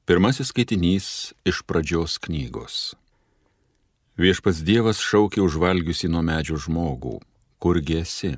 Pirmasis skaitinys iš Pradžios knygos. Viešpats Dievas šaukė užvalgiusi nuo medžio žmogų, kurgi esi?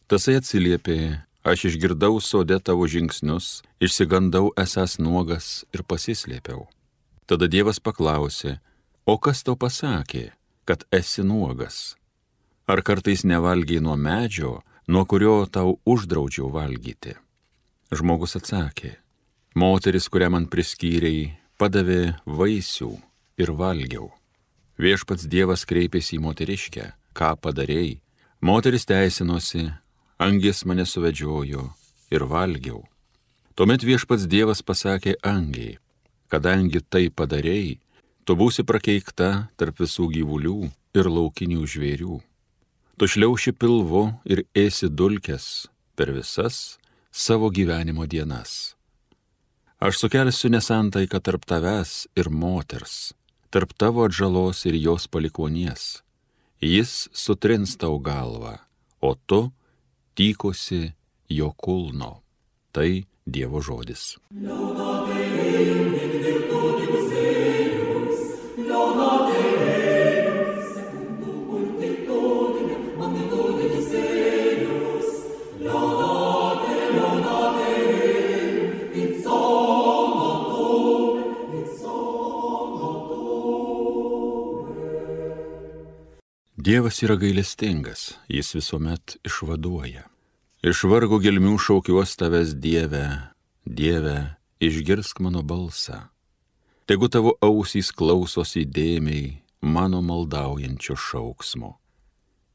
Tasai atsiliepė, aš išgirdau sode tavo žingsnius, išsigandau esąs nuogas ir pasislėpiau. Tada Dievas paklausė, o kas tau pasakė, kad esi nuogas? Ar kartais nevalgiai nuo medžio, nuo kurio tau uždraudžiau valgyti? Žmogus atsakė, moteris, kurią man priskyrei, padavė vaisių ir valgiau. Viešpats Dievas kreipėsi į moteriškę, ką padarei? Moteris teisinosi, angis mane suvedžiojo ir valgiau. Tuomet Viešpats Dievas pasakė angiai, kadangi tai padarei, tu būsi prakeikta tarp visų gyvulių ir laukinių žvėrių. Tu šliauši pilvu ir ėsi dulkes per visas savo gyvenimo dienas. Aš sukelsiu nesantaiką tarp tavęs ir moters, tarp tavo atžalos ir jos palikuonies. Jis sutrins tau galvą, o tu tykosi jo kulno. Tai Dievo žodis. Dievas yra gailestingas, jis visuomet išvaduoja. Iš vargo gelmių šaukiuos tavęs Dieve, Dieve, išgirsk mano balsą. Tegu tavo ausys klausosi įdėmiai mano maldaujančio šauksmo.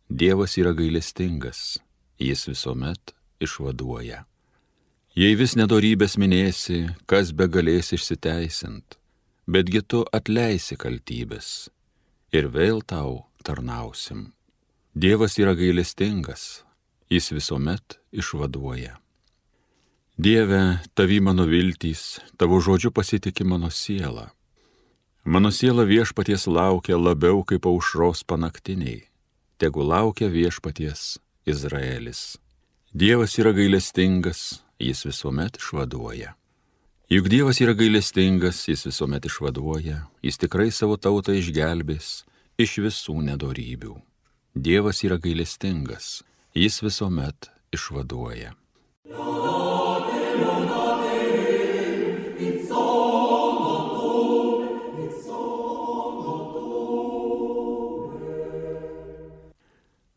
Dievas yra gailestingas, jis visuomet išvaduoja. Jei vis nedorybės minėsi, kas be galės išsiteisint, betgi tu atleisi kaltybės ir vėl tau tarnausim. Dievas yra gailestingas, jis visuomet išvaduoja. Dieve, tavi mano viltys, tavo žodžiu pasitiki mano siela. Mano siela viešpaties laukia labiau kaip aušros panaktiniai. Tegu laukia viešpaties Izraelis. Dievas yra gailestingas, jis visuomet išvaduoja. Juk Dievas yra gailestingas, jis visuomet išvaduoja, jis tikrai savo tautą išgelbės iš visų nedorybių. Dievas yra gailestingas, jis visuomet išvaduoja.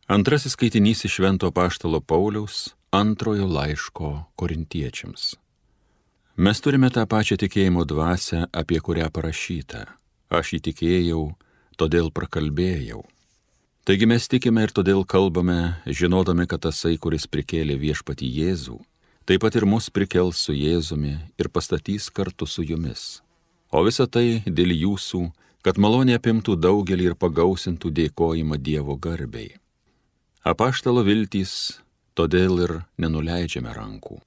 Antrasis skaitinys iš Švento apaštalo Pauliaus antrojo laiško korintiečiams. Mes turime tą pačią tikėjimo dvasią, apie kurią parašyta. Aš įtikėjau, todėl prakalbėjau. Taigi mes tikime ir todėl kalbame, žinodami, kad tasai, kuris prikėlė viešpatį Jėzų, taip pat ir mus prikels su Jėzumi ir pastatys kartu su jumis. O visa tai dėl jūsų, kad malonė apimtų daugelį ir pagausintų dėkojimą Dievo garbei. Apaštalo viltys, todėl ir nenuleidžiame rankų.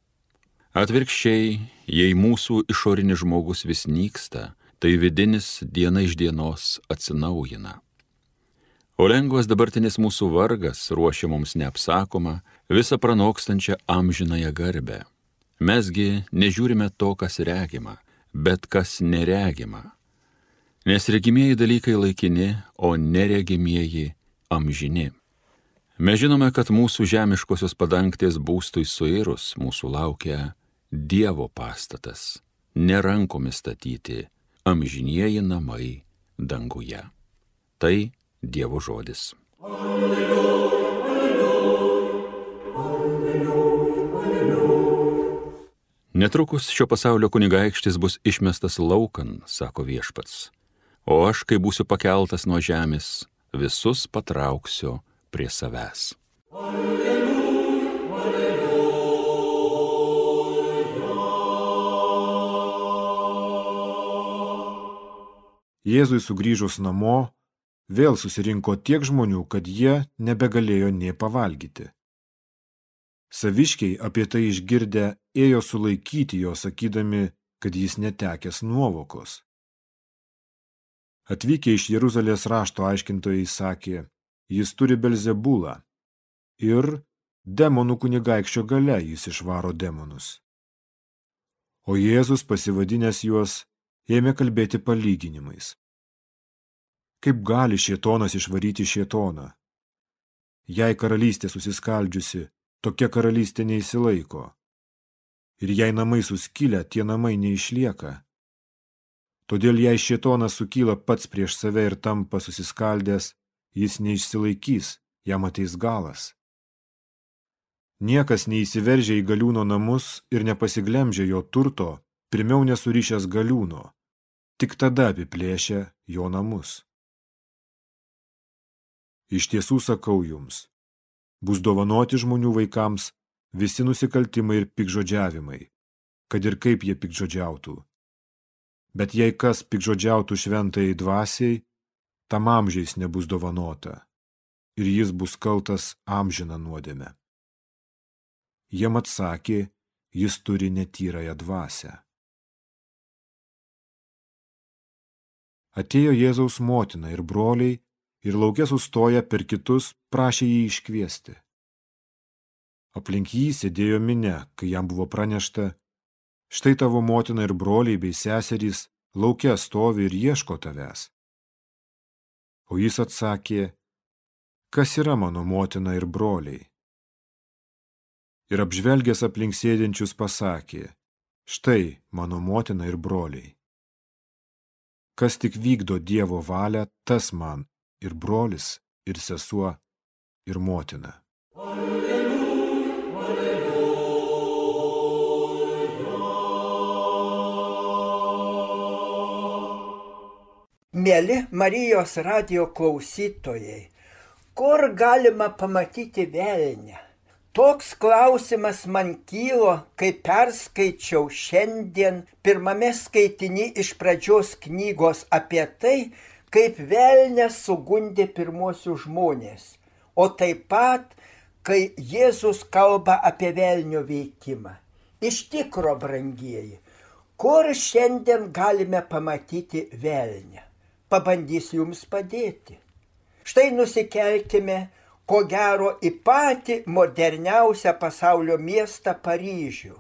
Atvirkščiai, jei mūsų išorinis žmogus vis nyksta, tai vidinis diena iš dienos atsinaujina. O lengvas dabartinis mūsų vargas ruošia mums neapsakomą, visą pranokstančią amžinąją garbę. Mesgi nežiūrime to, kas regima, bet kas neregima. Nes regimieji dalykai laikini, o neregimieji amžini. Mes žinome, kad mūsų žemiškosios padangtės būstui suirus mūsų laukia Dievo pastatas, ne rankomis statyti, amžinieji namai danguje. Tai Dievo žodis. Alleluja, alleluja, alleluja, alleluja. Netrukus šio pasaulio kunigaikštis bus išmestas laukan, sako viešpats, o aš, kai būsiu pakeltas nuo žemės, visus patrauksiu prie savęs. Alleluja, alleluja. Jėzui sugrįžus namo, vėl susirinko tiek žmonių, kad jie nebegalėjo nė pavalgyti. Saviškiai apie tai išgirdę ėjo sulaikyti jo, sakydami, kad jis netekęs nuovokos. Atvykę iš Jeruzalės rašto aiškintojai sakė, jis turi Belzebulą ir demonų kunigaikščio galia jis išvaro demonus. O Jėzus pasivadinęs juos ėmė kalbėti palyginimais. Kaip gali šėtonas išvaryti šėtoną? Jei karalystė susiskaldžiusi, tokia karalystė neįsilaiko. Ir jei namai suskilę, tie namai neišlieka. Todėl jei šėtonas sukyla pats prieš save ir tampa susiskaldęs, jis neišsilaikys, jam ateis galas. Niekas neįsiveržia į galiūno namus ir nepasiglemžia jo turto, pirmiau nesurišęs galiūno, tik tada apiplėšia jo namus. Iš tiesų sakau jums, bus dovanoti žmonių vaikams visi nusikaltimai ir piktžodžiavimai, kad ir kaip jie piktžodžiautų. Bet jei kas piktžodžiautų šventajai dvasiai, tam amžiais nebus dovanota, ir jis bus kaltas amžiną nuodėmę. Jiem atsakė, jis turi netyrąją dvasią. Atėjo Jėzaus motina ir broliai, ir lauke sustoję per kitus prašė jį iškviesti. Aplink jį sėdėjo minia, kai jam buvo pranešta, štai tavo motina ir broliai bei seserys lauke stovi ir ieško tavęs. O jis atsakė, kas yra mano motina ir broliai? Ir apžvelgęs aplink sėdinčius pasakė, štai mano motina ir broliai. Kas tik vykdo Dievo valią, tas man ir brolis, ir sesuo, ir motina. Mieli Marijos radijo klausytojai, kur galima pamatyti velnią? Toks klausimas man kilo, kai perskaičiau šiandien pirmame skaitiny iš pradžios knygos apie tai, kaip velnias sugundė pirmuosius žmonės, o taip pat, kai Jėzus kalba apie velnio veikimą. Iš tikro, brangieji, kur šiandien galime pamatyti velnią? Pabandysiu jums padėti. Štai nusikelkime, ko gero, į patį moderniausią pasaulio miestą Paryžių.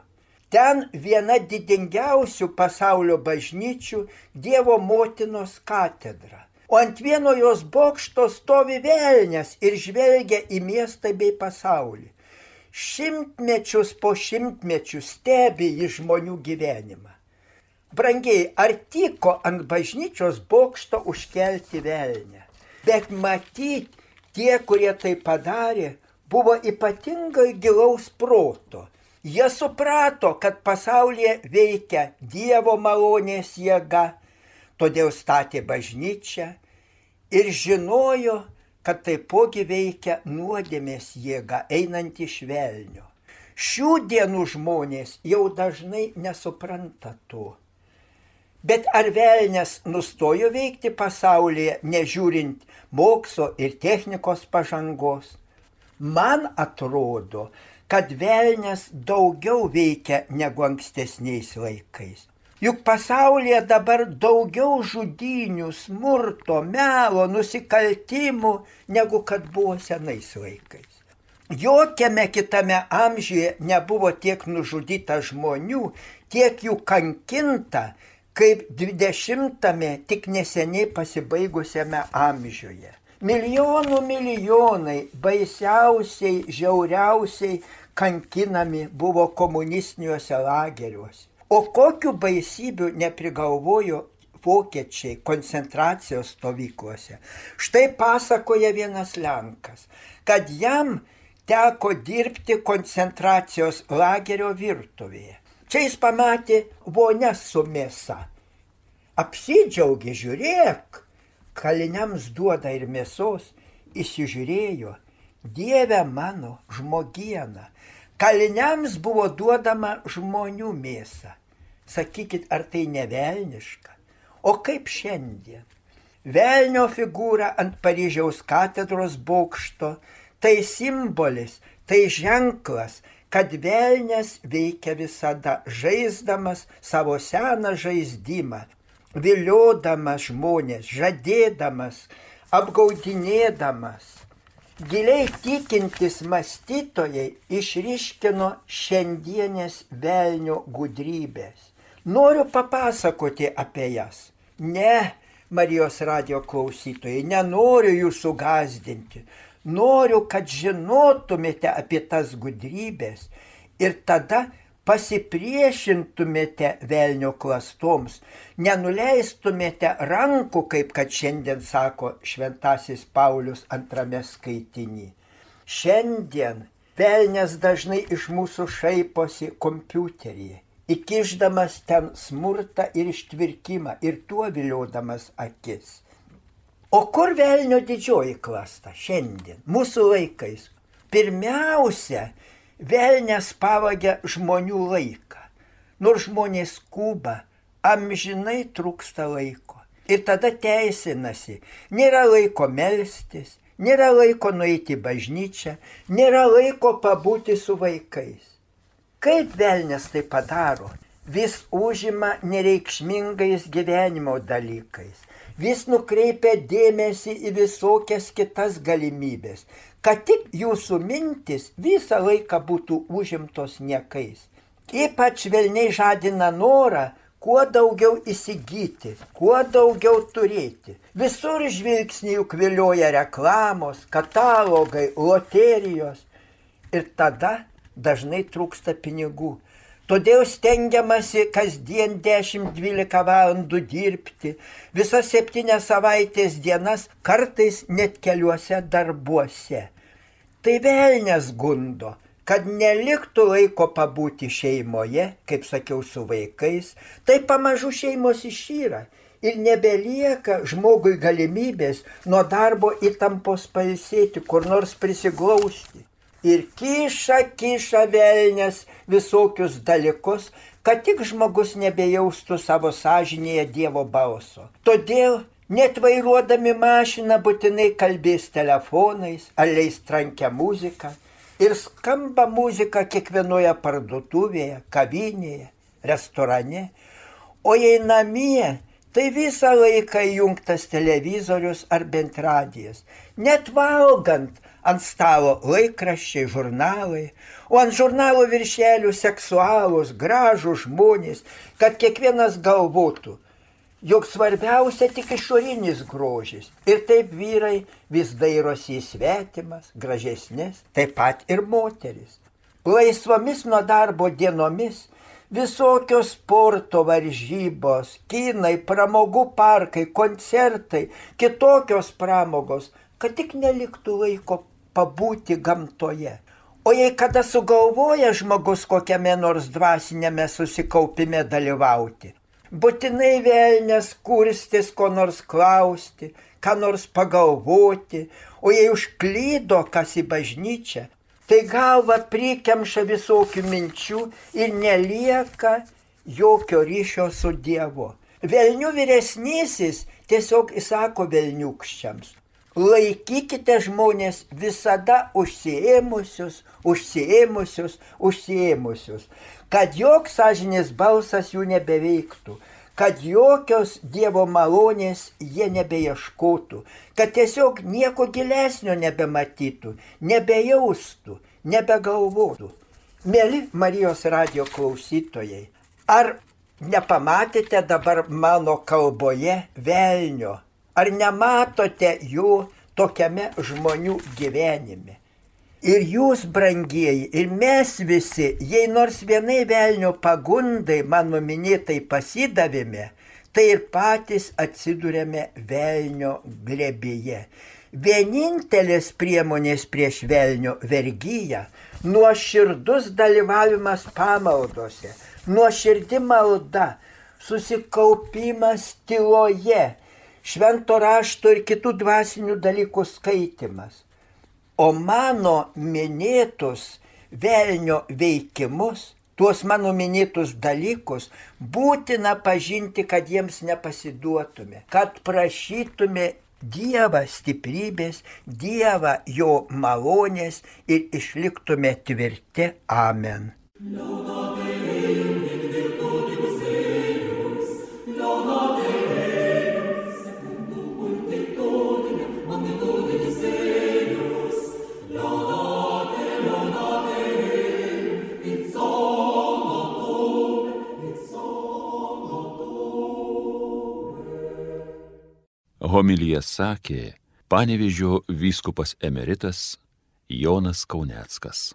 Ten viena didingiausių pasaulio bažnyčių Dievo motinos katedra. O ant vieno jos bokšto stovi velnias ir žvelgia į miestą bei pasaulį. Šimtmečius po šimtmečių stebi į žmonių gyvenimą. Brangiai, ar tiko ant bažnyčios bokšto užkelti velnią? Bet matyt, tie, kurie tai padarė, buvo ypatingai gilaus proto. Jie suprato, kad pasaulyje veikia Dievo malonės jėga, todėl statė bažnyčią ir žinojo, kad taipogi veikia nuodėmės jėga einant iš velnio. Šių dienų žmonės jau dažnai nesupranta to. Bet ar velnias nustojo veikti pasaulyje, nežiūrint mokslo ir technikos pažangos? Man atrodo, kad velnias daugiau veikia negu ankstesniais laikais. Juk pasaulyje dabar daugiau žudynių, smurto, melo, nusikaltimų, negu kad buvo senais laikais. Jokiame kitame amžiuje nebuvo tiek nužudyta žmonių, tiek jų kankinta, kaip 20-ame tik neseniai pasibaigusiame amžiuje. Milijonai baisiausiai, žiauriausiai kankinami buvo komunistiniuose lageriuose. O kokių baisybių neprigalvojo vokiečiai koncentracijos stovyklose. Štai pasakoja vienas lenkas, kad jam teko dirbti koncentracijos lagerio virtuvėje. Čia jis pamatė vonias su mėsa. Apsidžiaugė, žiūrėk, kaliniams duoda ir mėsos, įsižiūrėjo, Dieve mano, žmogiena. Kaliniams buvo duodama žmonių mėsa. Sakykit, ar tai ne velniška? O kaip šiandien? Velnio figūra ant Paryžiaus katedros bokšto, tai simbolis, tai ženklas, kad velnias veikia visada, žaisdamas savo seną žaisdymą, viliodamas žmonės, žadėdamas, apgaudinėdamas. Giliai tikintis mąstytojai išryškino šiandienės velnio gudrybės. Noriu papasakoti apie jas. Ne, Marijos radijo klausytojai, nenoriu jūsų gąsdinti. Noriu, kad žinotumėte apie tas gudrybės ir tada pasipriešintumėte velnio klastoms, nenuleistumėte rankų, kaip kad šiandien sako šventasis Paulius 2 skaitiny. Šiandien velnias dažnai iš mūsų šaiposi kompiuteryje, įkišdamas ten smurtą ir ištvirkimą ir tuo viliodamas akis. O kur velnio didžioji klasta šiandien, mūsų laikais? Pirmiausia, velnias pavagia žmonių laiką. Nors žmonės skuba, amžinai trūksta laiko. Ir tada teisinasi, nėra laiko melstis, nėra laiko nueiti į bažnyčią, nėra laiko pabūti su vaikais. Kaip velnias tai padaro? Vis užima nereikšmingais gyvenimo dalykais. Vis nukreipia dėmesį į visokias kitas galimybės, kad tik jūsų mintis visą laiką būtų užimtos niekais. Ypač velniai žadina norą kuo daugiau įsigyti, kuo daugiau turėti. Visur žvilgsnį juk vilioja reklamos, katalogai, loterijos. Ir tada dažnai trūksta pinigų. Todėl stengiamasi kasdien 10-12 valandų dirbti, visas 7 savaitės dienas, kartais net keliuose darbuose. Tai velnias gundo, kad neliktų laiko pabūti šeimoje, kaip sakiau, su vaikais, tai pamažu šeimos išyra ir nebelieka žmogui galimybės nuo darbo įtampos pailsėti, kur nors prisiglausti. Ir kiša velnias visokius dalykus, kad tik žmogus nebejaustų savo sąžinėje Dievo balso. Todėl net vairuodami mašiną būtinai kalbės telefonais ar leis trankią muziką. Ir skamba muzika kiekvienoje parduotuvėje, kavinėje, restorane. O jei namie, tai visą laiką įjungtas televizorius ar bent radijas. Net valgant ant stalo laikraščiai, žurnalai, o ant žurnalo viršelių seksualūs, gražūs žmonės, kad kiekvienas galvotų, jog svarbiausia tik išorinis grožis. Ir taip vyrai vis dairosi į svetimas, gražesnės, taip pat ir moteris. Laisvomis nuo darbo dienomis visokios sporto varžybos, kinai, pramogų parkai, koncertai, kitokios pramogos, kad tik neliktų laiko pabūti gamtoje. O jei kada sugalvoja žmogus kokiame nors dvasinėme susikaupime dalyvauti, būtinai velnias kurstis ko nors klausti, ką nors pagalvoti, o jei užklydo kas į bažnyčią, tai galva prikemša visokių minčių ir nelieka jokio ryšio su Dievu. Velnių vyresnysis tiesiog įsako velniukščiams: laikykite žmonės visada užsiėmusius, kad joks sąžinės balsas jų nebeveiktų, kad jokios Dievo malonės jie nebeieškotų, kad tiesiog nieko gilesnio nebematytų, nebejaustų, nebegalvotų. Mieli Marijos radijo klausytojai, ar nepamatėte dabar mano kalboje velnio? Ar nematote jų tokiame žmonių gyvenime? Ir jūs, brangieji, ir mes visi, jei nors vienai velnio pagundai mano minėtai pasidavėme, tai ir patys atsidūrėme velnio glėbyje. Vienintelės priemonės prieš velnio vergyją - nuoširdus dalyvavimas pamaldose, nuoširdi malda, susikaupimas tyloje, švento rašto ir kitų dvasinių dalykų skaitimas. O mano minėtus velnio veikimus, tuos mano minėtus dalykus, būtina pažinti, kad jiems nepasiduotume, kad prašytume Dievą stiprybės, Dievą jo malonės ir išliktume tvirti. Amen. Homiliją sakė Panevėžio vyskupas emeritas Jonas Kauneckas.